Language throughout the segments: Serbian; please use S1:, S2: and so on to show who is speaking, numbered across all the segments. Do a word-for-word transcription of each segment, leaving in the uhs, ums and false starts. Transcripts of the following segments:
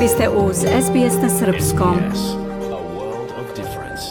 S1: Vi ste uz S B S na srpskom.
S2: A world of difference.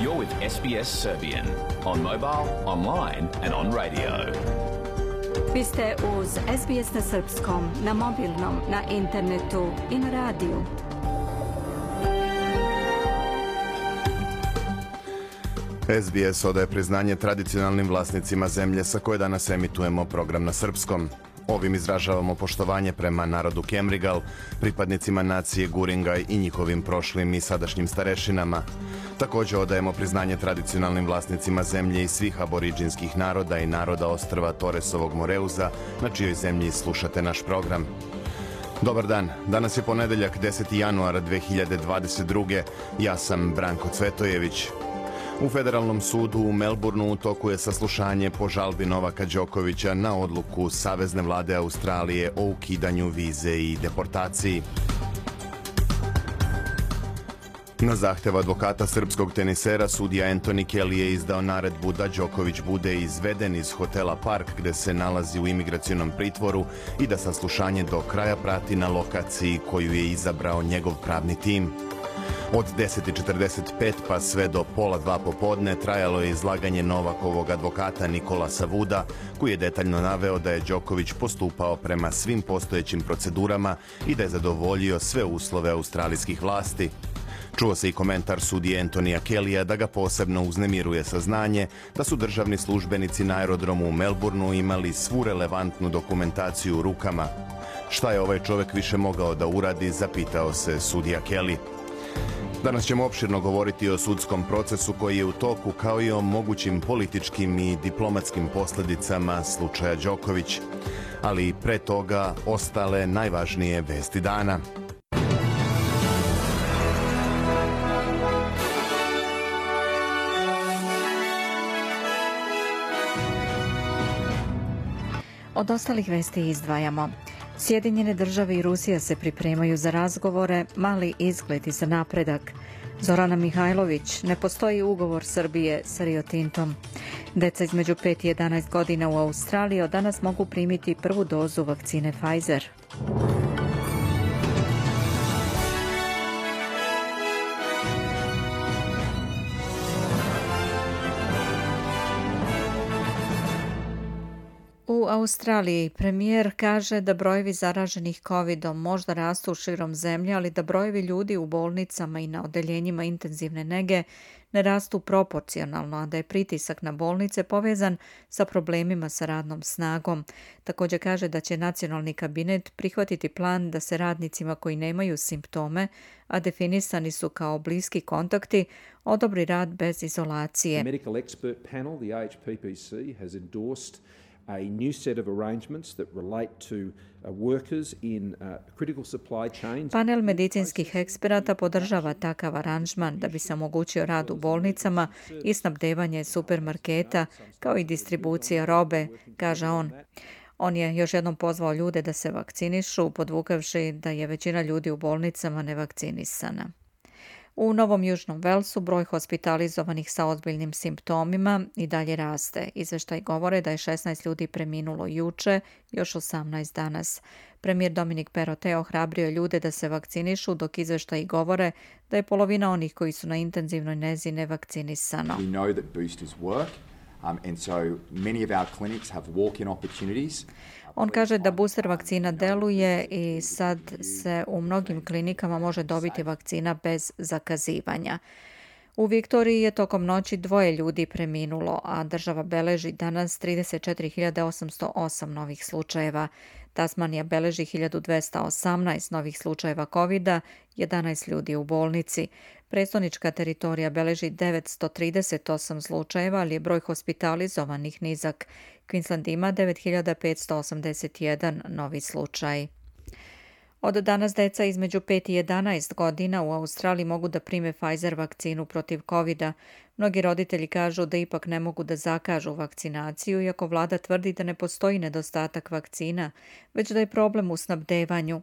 S2: You're with S B S Serbian on mobile, online and on radio.
S1: Vi ste uz S B S na srpskom, na mobilnom, na internetu i na radiju.
S3: S B S odaje priznanje tradicionalnim vlasnicima zemlje sa koje danas emitujemo program na srpskom. Ovim izražavamo poštovanje prema narodu Kemrigal, pripadnicima nacije Guringaj i njihovim prošlim i sadašnjim starešinama. Također odajemo priznanje tradicionalnim vlasnicima zemlje i svih aboriđinskih naroda i naroda ostrva Toresovog Moreuza, na čijoj zemlji slušate naš program. Dobar dan, danas je ponedeljak deseti januar dve hiljade dvadeset druge. Ja sam Branko Cvetojević. U Federalnom sudu u Melbourneu u toku je saslušanje po žalbi Novaka Đokovića na odluku Savezne vlade Australije o ukidanju vize i deportaciji. Na zahtev advokata srpskog tenisera, sudija Anthony Kelly je izdao naredbu da Đoković bude izveden iz hotela Park, gde se nalazi u imigracionom pritvoru, i da saslušanje do kraja prati na lokaciji koju je izabrao njegov pravni tim. Od deset i četrdeset pet pa sve do pola dva popodne trajalo je izlaganje Novakovog advokata Nikolasa Vuda, koji je detaljno naveo da je Đoković postupao prema svim postojećim procedurama i da je zadovoljio sve uslove australijskih vlasti. Čuo se i komentar sudije Antonija Kellyja da ga posebno uznemiruje saznanje da su državni službenici na aerodromu u Melbourneu imali svu relevantnu dokumentaciju u rukama. Šta je ovaj čovjek više mogao da uradi, zapitao se sudija Kelly. Danas ćemo opširno govoriti o sudskom procesu koji je u toku, kao i o mogućim političkim i diplomatskim posljedicama slučaja Đoković. Ali pre toga ostale najvažnije vesti dana.
S4: Od ostalih vesti izdvajamo. Sjedinjene države i Rusija se pripremaju za razgovore, mali izgledi za napredak. Zorana Mihajlović, ne postoji ugovor Srbije sa Rio Tintom. Deca između pet i jedanaest godina u Australiji od danas mogu primiti prvu dozu vakcine Pfizer. U Australiji premijer kaže da brojevi zaraženih covidom možda rastu širom zemlje, ali da brojevi ljudi u bolnicama i na odeljenjima intenzivne nege ne rastu proporcionalno, a da je pritisak na bolnice povezan sa problemima sa radnom snagom. Također kaže da će nacionalni kabinet prihvatiti plan da se radnicima koji nemaju simptome, a definisani su kao bliski kontakti, odobri rad bez izolacije.
S5: The medical expert panel, the A H P P C, has endorsed a new set of arrangements that relate to uh, workers in uh, critical supply chains.
S4: Panel medicinskih eksperata podržava takav aranžman da bi se omogućio rad u bolnicama i snabdevanje supermarketa kao i distribucija robe, kaže on. On je još jednom pozvao ljude da se vakcinišu, podvukavši da je većina ljudi u bolnicama nevakcinisana. U Novom Južnom Velsu broj hospitalizovanih sa ozbiljnim simptomima i dalje raste. Izveštaj govore da je šesnaest ljudi preminulo juče, još osamnaest danas. Premijer Dominik Perrottet ohrabrio ljude da se vakcinišu, dok izveštaji govore da je polovina onih koji su na intenzivnoj nezi nevakcinisano.
S6: We know that boosters work. Um, and so many of our clinics have walk-in opportunities.
S4: On kaže da booster vakcina deluje i sad se u mnogim klinikama može dobiti vakcina bez zakazivanja. U Viktoriji je tokom noći dvoje ljudi preminulo, a država beleži danas trideset četiri hiljade osamsto osam novih slučajeva. Tasmanija beleži hiljadu dvesta osamnaest novih slučajeva covida, jedanaest ljudi u bolnici. Prestonička teritorija beleži devetsto trideset osam slučajeva, ali je broj hospitalizovanih nizak. Queensland ima devet hiljada petsto osamdeset jedan novi slučaj. Od danas deca između pet i jedanaest godina u Australiji mogu da prime Pfizer vakcinu protiv covida. Mnogi roditelji kažu da ipak ne mogu da zakažu vakcinaciju, iako vlada tvrdi da ne postoji nedostatak vakcina, već da je problem u snabdevanju.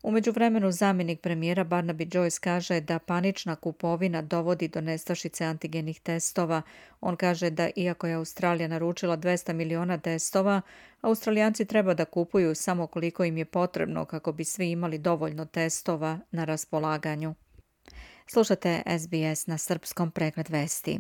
S4: U međuvremenu zamjenik premijera Barnaby Joyce kaže da panična kupovina dovodi do nestašice antigenih testova. On kaže da iako je Australija naručila dvesta miliona testova, Australijanci treba da kupuju samo koliko im je potrebno kako bi svi imali dovoljno testova na raspolaganju. Slušate S B S na srpskom, pregled vesti.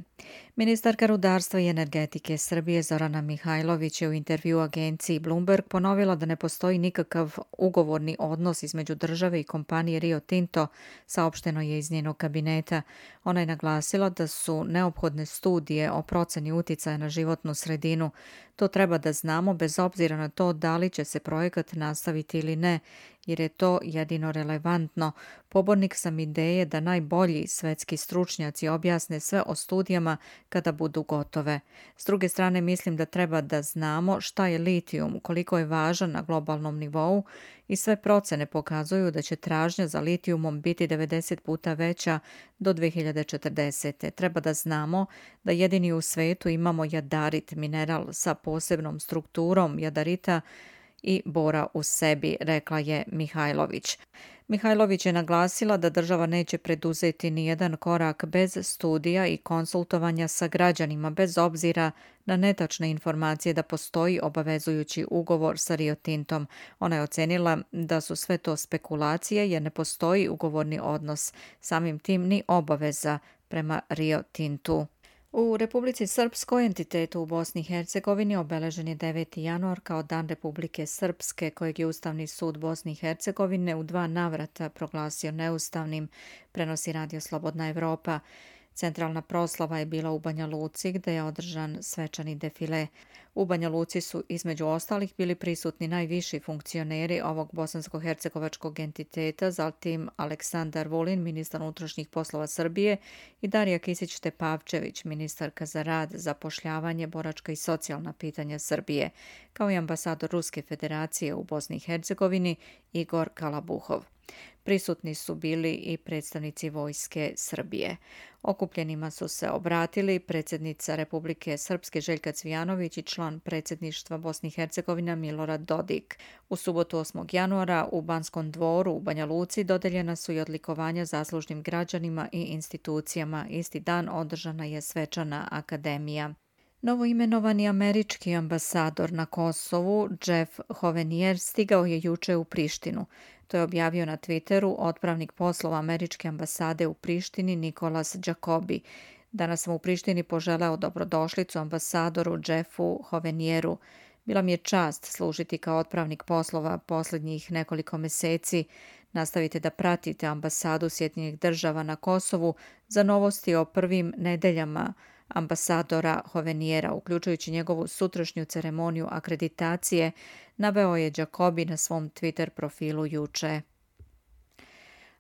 S4: Ministarka rudarstva i energetike Srbije Zorana Mihajlović je u intervju agenciji Bloomberg ponovila da ne postoji nikakav ugovorni odnos između države i kompanije Rio Tinto, saopšteno je iz njenog kabineta. Ona je naglasila da su neophodne studije o proceni uticaja na životnu sredinu. To treba da znamo bez obzira na to da li će se projekat nastaviti ili ne, jer je to jedino relevantno. Pobornik sam ideje da najbolji svetski stručnjaci objasne sve o studijama kada budu gotove. S druge strane, mislim da treba da znamo šta je litijum, koliko je važan na globalnom nivou i sve procene pokazuju da će tražnja za litijumom biti devedeset puta veća do dve hiljade četrdesete. Treba da znamo da jedini u svetu imamo jadarit, mineral sa posebnom strukturom jadarita i bora u sebi, rekla je Mihajlović. Mihajlović je naglasila da država neće preduzeti ni jedan korak bez studija i konsultovanja sa građanima, bez obzira na netačne informacije da postoji obavezujući ugovor sa Rio Tintom. Ona je ocenila da su sve to spekulacije jer ne postoji ugovorni odnos, samim tim ni obaveza prema Rio Tintu. U Republici Srpskoj, entitetu u Bosni i Hercegovini, obeležen je deveti januar kao Dan Republike Srpske, kojeg je Ustavni sud Bosne i Hercegovine u dva navrata proglasio neustavnim, prenosi Radio Slobodna Evropa. Centralna proslava je bila u Banja Luci, gde je održan svečani defile. U Banja Luci su između ostalih bili prisutni najviši funkcioneri ovog bosansko-hercegovačkog entiteta, zatim Aleksandar Vulin, ministar unutrašnjih poslova Srbije, i Darija Kisić-Tepavčević, ministarka za rad, zapošljavanje, boračka i socijalna pitanja Srbije, kao i ambasador Ruske federacije u Bosni i Hercegovini Igor Kalabuhov. Prisutni su bili i predstavnici Vojske Srbije. Okupljenima su se obratili predsjednica Republike Srpske Željka Cvijanović i član predsjedništva Bosne i Hercegovine Milorad Dodik. U subotu osmog januara u Banskom dvoru u Banja Luci dodeljena su i odlikovanja zaslužnim građanima i institucijama. Isti dan održana je svečana akademija. Novoimenovani američki ambasador na Kosovu, Jeff Hovenier, stigao je juče u Prištinu. To je objavio na Twitteru otpravnik poslova američke ambasade u Prištini Nikolas Jacobi. Danas sam u Prištini poželeo dobrodošlicu ambasadoru Jeffu Hovenieru. Bila mi je čast služiti kao otpravnik poslova posljednjih nekoliko meseci. Nastavite da pratite ambasadu Sjedinjenih država na Kosovu za novosti o prvim nedeljama ambasadora Hoveniera, uključujući njegovu sutrašnju ceremoniju akreditacije, naveo je Jacobi na svom Twitter profilu juče.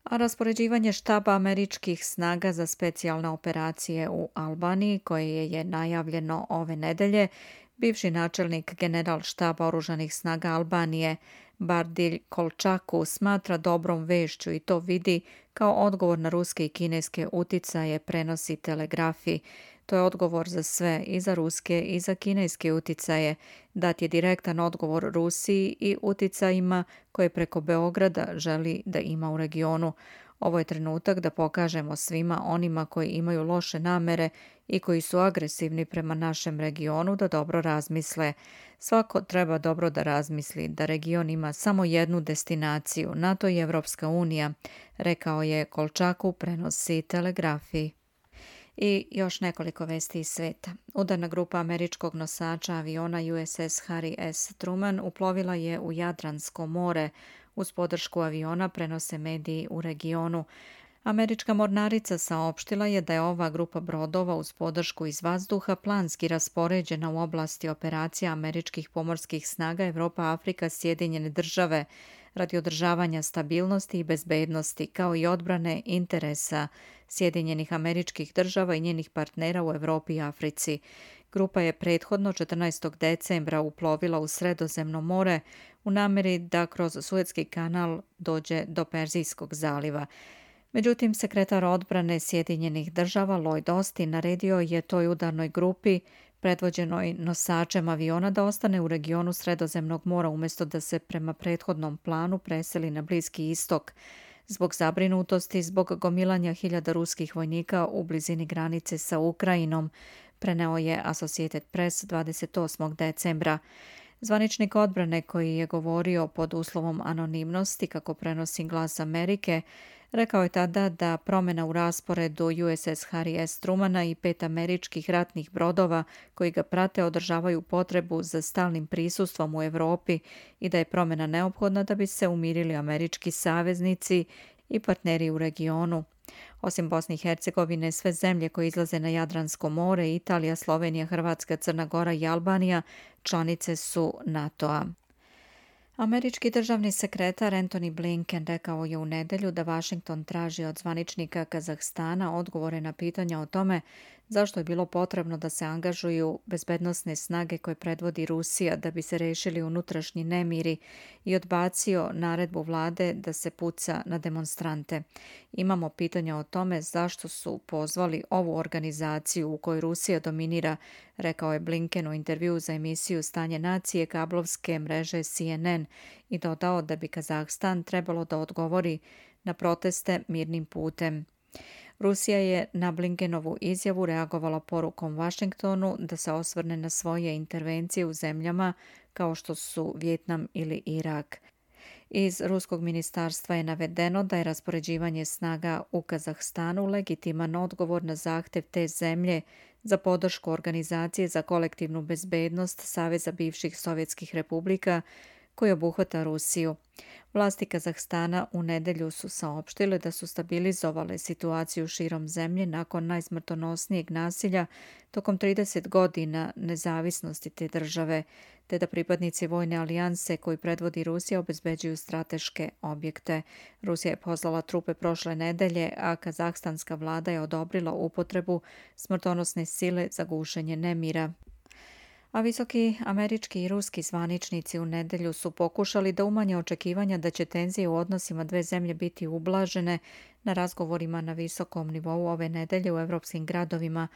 S4: A raspoređivanje štaba američkih snaga za specijalne operacije u Albaniji, koje je najavljeno ove nedelje, bivši načelnik general štaba oružanih snaga Albanije Bardilj Kolčaku smatra dobrom vešću i to vidi kao odgovor na ruske i kineske uticaje, prenosi Telegrafi. To je odgovor za sve, i za ruske i za kineske uticaje. Dat je direktan odgovor Rusiji i uticajima koje preko Beograda želi da ima u regionu. Ovo je trenutak da pokažemo svima onima koji imaju loše namere i koji su agresivni prema našem regionu da dobro razmisle. Svako treba dobro da razmisli da region ima samo jednu destinaciju, NATO i Evropska unija, rekao je Kolčaku, prenosi Telegrafi. I još nekoliko vesti iz sveta. Udarna grupa američkog nosača aviona U S S Harry S. Truman uplovila je u Jadransko more. Uz podršku aviona, prenose mediji u regionu. Američka mornarica saopštila je da je ova grupa brodova uz podršku iz vazduha planski raspoređena u oblasti operacija američkih pomorskih snaga Evropa, Afrika, Sjedinjene države radi održavanja stabilnosti i bezbednosti, kao i odbrane interesa Sjedinjenih američkih država i njenih partnera u Evropi i Africi. Grupa je prethodno četrnaestog decembra uplovila u Sredozemno more u nameri da kroz Suetski kanal dođe do Perzijskog zaliva. Međutim, sekretar odbrane Sjedinjenih država Lloyd Austin naredio je toj udarnoj grupi predvođenoj nosačem aviona da ostane u regionu Sredozemnog mora umjesto da se prema prethodnom planu preseli na Bliski istok zbog zabrinutosti zbog gomilanja hiljada ruskih vojnika u blizini granice sa Ukrajinom, preneo je Associated Press dvadeset osmog decembra. Zvaničnik odbrane koji je govorio pod uslovom anonimnosti, kako prenosi Glas Amerike, rekao je tada da promjena u rasporedu U S S Harry S. Trumana i pet američkih ratnih brodova koji ga prate održavaju potrebu za stalnim prisustvom u Europi i da je promjena neophodna da bi se umirili američki saveznici i partneri u regionu. Osim Bosne i Hercegovine, sve zemlje koje izlaze na Jadransko more, Italija, Slovenija, Hrvatska, Crna Gora i Albanija, članice su NATO-a. Američki državni sekretar Antony Blinken rekao je u nedjelju da Washington traži od zvaničnika Kazahstana odgovore na pitanja o tome zašto je bilo potrebno da se angažuju bezbednosne snage koje predvodi Rusija da bi se rešili unutrašnji nemiri i odbacio naredbu vlade da se puca na demonstrante. Imamo pitanja o tome zašto su pozvali ovu organizaciju u kojoj Rusija dominira, rekao je Blinken u intervjuu za emisiju Stanje nacije kablovske mreže C N N i dodao da bi Kazahstan trebalo da odgovori na proteste mirnim putem. Rusija je na Blinkenovu izjavu reagovala porukom Washingtonu da se osvrne na svoje intervencije u zemljama kao što su Vijetnam ili Irak. Iz ruskog ministarstva je navedeno da je raspoređivanje snaga u Kazahstanu legitiman odgovor na zahtev te zemlje za podršku Organizacije za kolektivnu bezbednost Saveza bivših sovjetskih republika koji obuhvata Rusiju. Vlasti Kazahstana u nedjelju su saopštile da su stabilizovale situaciju širom zemlje nakon najsmrtonosnijeg nasilja tokom trideset godina nezavisnosti te države, te da pripadnici vojne alijanse koji predvodi Rusija obezbeđuju strateške objekte. Rusija je poslala trupe prošle nedelje, a kazahstanska vlada je odobrila upotrebu smrtonosne sile za gušenje nemira. A visoki američki i ruski zvaničnici u nedjelju su pokušali da umanje očekivanja da će tenzije u odnosima dve zemlje biti ublažene na razgovorima na visokom nivou ove nedelje u evropskim gradovima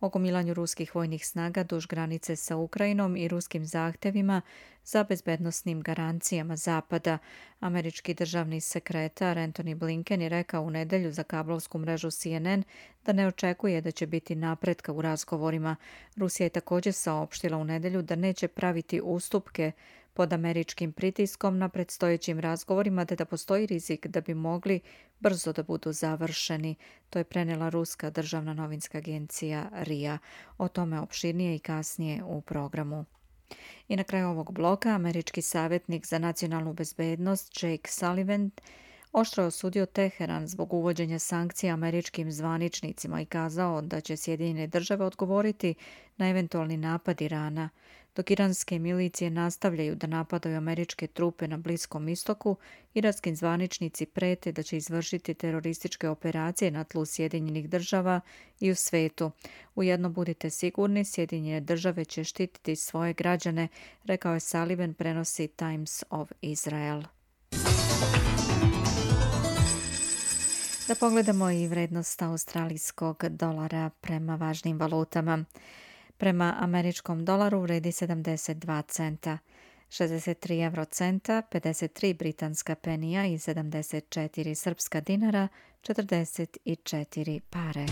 S4: o gomilanju ruskih vojnih snaga duž granice sa Ukrajinom i ruskim zahtevima za bezbednosnim garancijama Zapada. Američki državni sekretar Antony Blinken je rekao u nedjelju za kablovsku mrežu C N N da ne očekuje da će biti napretka u razgovorima. Rusija je također saopštila u nedjelju da neće praviti ustupke pod američkim pritiskom na predstojećim razgovorima, te da postoji rizik da bi mogli brzo da budu završeni. To je prenijela ruska državna novinska agencija R I A. O tome opširnije i kasnije u programu. I na kraju ovog bloka američki savjetnik za nacionalnu bezbednost Jake Sullivan oštro je osudio Teheran zbog uvođenja sankcija američkim zvaničnicima i kazao da će Sjedinjene države odgovoriti na eventualni napad Irana. Dok iranske milicije nastavljaju da napadaju američke trupe na Bliskom istoku, iranski zvaničnici prete da će izvršiti terorističke operacije na tlu Sjedinjenih država i u svetu. Ujedno budite sigurni, Sjedinjene države će štititi svoje građane, rekao je Sullivan, prenosi Times of Israel. Da pogledamo i vrednost australijskog dolara prema važnim valutama. Prema američkom dolaru vredi sedamdeset dva centa, šezdeset tri evrocenta, pedeset tri britanska penija i sedamdeset četiri srpska dinara, četrdeset četiri pare.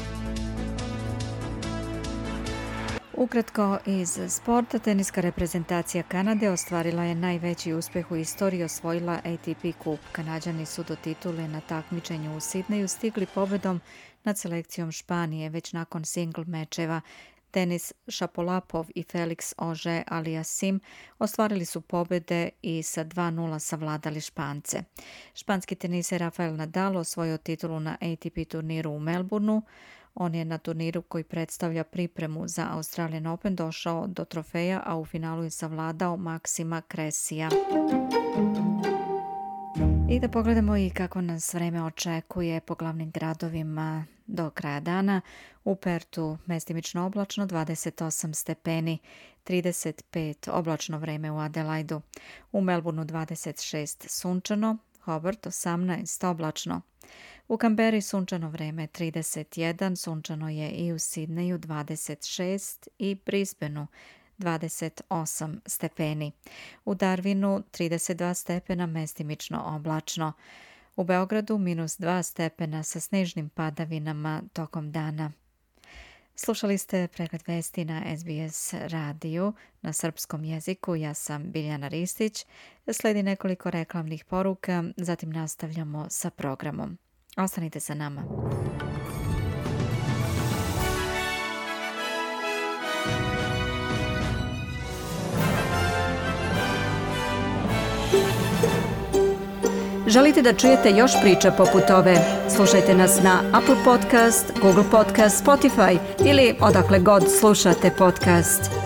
S4: Ukratko iz sporta, teniska reprezentacija Kanade ostvarila je najveći uspjeh u istoriji, osvojila A T P kup. Kanađani su do titule na takmičenju u Sidneju stigli pobedom nad selekcijom Španije već nakon singl mečeva. Denis Šapolapov i Felix Auger-Aliassime ostvarili su pobjede i sa dva nula savladali Špance. Španski teniser Rafael Nadal osvojio titulu na A T P turniru u Melbourneu. On je na turniru koji predstavlja pripremu za Australian Open došao do trofeja, a u finalu je savladao Maksima Kresija. I da pogledamo i kako nas vreme očekuje po glavnim gradovima do kraja dana. U Pertu mestimično oblačno dvadeset osam stepeni, trideset pet oblačno vreme u Adelaidu. U Melbourneu dvadeset šest sunčano, Hobart osamnaest oblačno. U Kamberi sunčano vreme trideset jedan, sunčano je i u Sidneju dvadeset šest i Brisbaneu dvadeset osam stepeni. U Darwinu trideset dva stepena, mestimično oblačno. U Beogradu minus dva stepena sa snežnim padavinama tokom dana. Slušali ste pregled vesti na S B S radiju na srpskom jeziku. Ja sam Biljana Ristić. Sledi nekoliko reklamnih poruka, zatim nastavljamo sa programom. Ostanite sa nama.
S1: Želite da čujete još priča poput ove? Slušajte nas na Apple Podcast, Google Podcast, Spotify ili odakle god slušate podcast.